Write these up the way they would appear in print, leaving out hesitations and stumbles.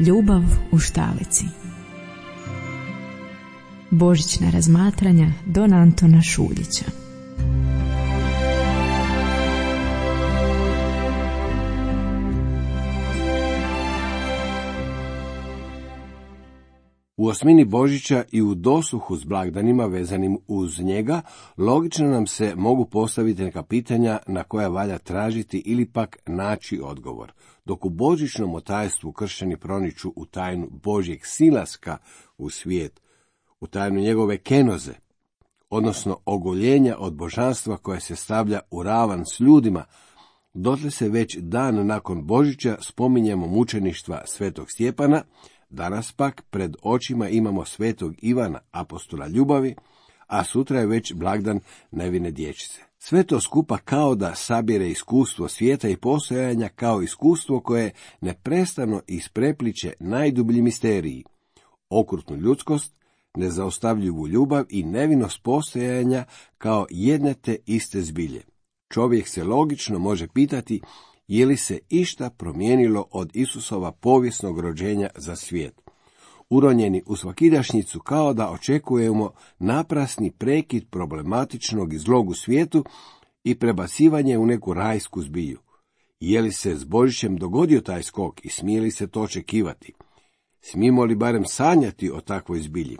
Ljubav u štalici. Božićna razmatranja Don Antona Šuljića. U osmini Božića i u dosluhu s blagdanima vezanim uz njega, logično nam se mogu postaviti neka pitanja na koja valja tražiti ili pak naći odgovor. Dok u božićnom otajstvu kršćani proniču u tajnu Božjeg silaska u svijet, u tajnu njegove kenoze, odnosno ogoljenja od božanstva koje se stavlja u ravan s ljudima, dotle se već dan nakon Božića spominjemo mučeništva svetog Stjepana. Danas pak pred očima imamo svetog Ivana, apostola ljubavi, a sutra je već blagdan nevine dječice. Sve to skupa kao da sabire iskustvo svijeta i postojanja kao iskustvo koje neprestano isprepliče najdublji misteriji, okrutnu ljudskost, nezaustavljivu ljubav i nevinost postojanja kao jedne te iste zbilje. Čovjek se logično može pitati je li se išta promijenilo od Isusova povijesnog rođenja za svijet. Uronjeni u svakidašnjicu kao da očekujemo naprasni prekid problematičnog i zlog u svijetu i prebacivanje u neku rajsku zbilju. Je li se s Božićem dogodio taj skok i smije li se to očekivati? Smijemo li barem sanjati o takvoj zbilji?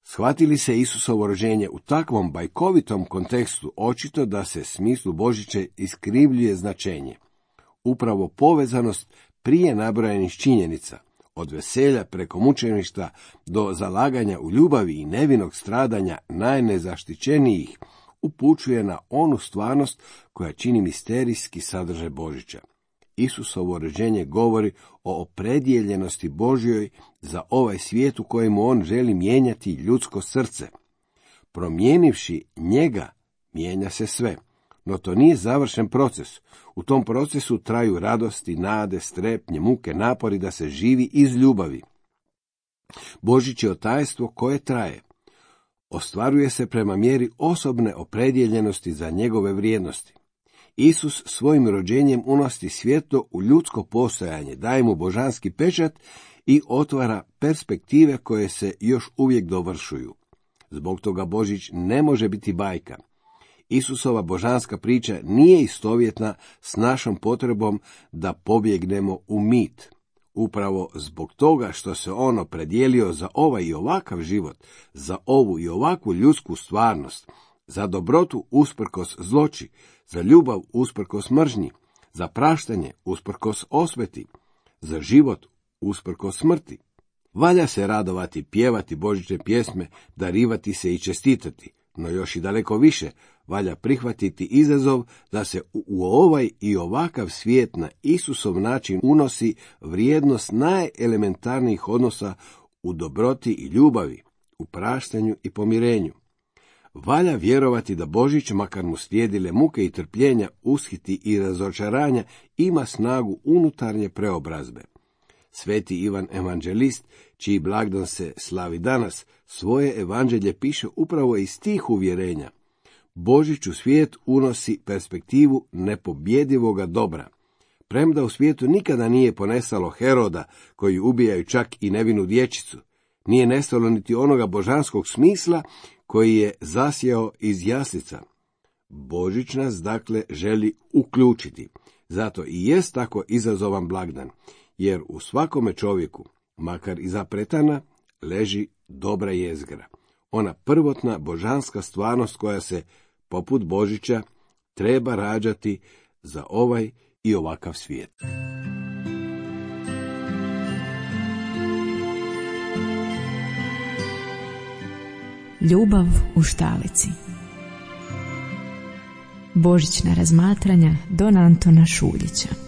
Shvati li se Isusovo rođenje u takvom bajkovitom kontekstu, očito da se smislu Božića iskrivljuje značenje. Upravo povezanost prije nabrojanih činjenica, od veselja preko mučeništva do zalaganja u ljubavi i nevinog stradanja najnezaštićenijih, upućuje na onu stvarnost koja čini misterijski sadržaj Božića. Isusovo rođenje govori o opredjeljenosti Božjoj za ovaj svijet u kojemu on želi mijenjati ljudsko srce. Promijenivši njega, mijenja se sve. No to nije završen proces. U tom procesu traju radosti, nade, strepnje, muke, napori da se živi iz ljubavi. Božić je otajstvo koje traje. Ostvaruje se prema mjeri osobne opredjeljenosti za njegove vrijednosti. Isus svojim rođenjem unosi svjetlo u ljudsko postojanje, daje mu božanski pečat i otvara perspektive koje se još uvijek dovršuju. Zbog toga Božić ne može biti bajka. Isusova božanska priča nije istovjetna s našom potrebom da pobjegnemo u mit. Upravo zbog toga što se on opredijelio za ovaj i ovakav život, za ovu i ovakvu ljudsku stvarnost, za dobrotu usprkos zloči, za ljubav usprkos mržnji, za praštanje usprkos osveti, za život usprkos smrti. Valja se radovati, pjevati božićne pjesme, darivati se i čestitati, no još i daleko više valja prihvatiti izazov da se u ovaj i ovakav svijet na Isusov način unosi vrijednost najelementarnijih odnosa u dobroti i ljubavi, u praštanju i pomirenju. Valja vjerovati da Božić, makar mu slijedile muke i trpljenja, ushiti i razočaranja, ima snagu unutarnje preobrazbe. Sveti Ivan Evanđelist, čiji blagdan se slavi danas, svoje evanđelje piše upravo iz tih uvjerenja. Božić u svijet unosi perspektivu nepobjedivoga dobra. Premda u svijetu nikada nije ponestalo Heroda, koji ubijaju čak i nevinu dječicu, nije nestalo niti onoga božanskog smisla koji je zasjao iz jaslica. Božić nas, dakle, želi uključiti. Zato i jest tako izazovan blagdan, jer u svakome čovjeku, makar i zapretana, leži dobra jezgra. Ona prvotna božanska stvarnost koja se, poput Božića, treba rađati za ovaj i ovakav svijet. Ljubav u štalici. Božićna razmatranja Don Antona Šuljića.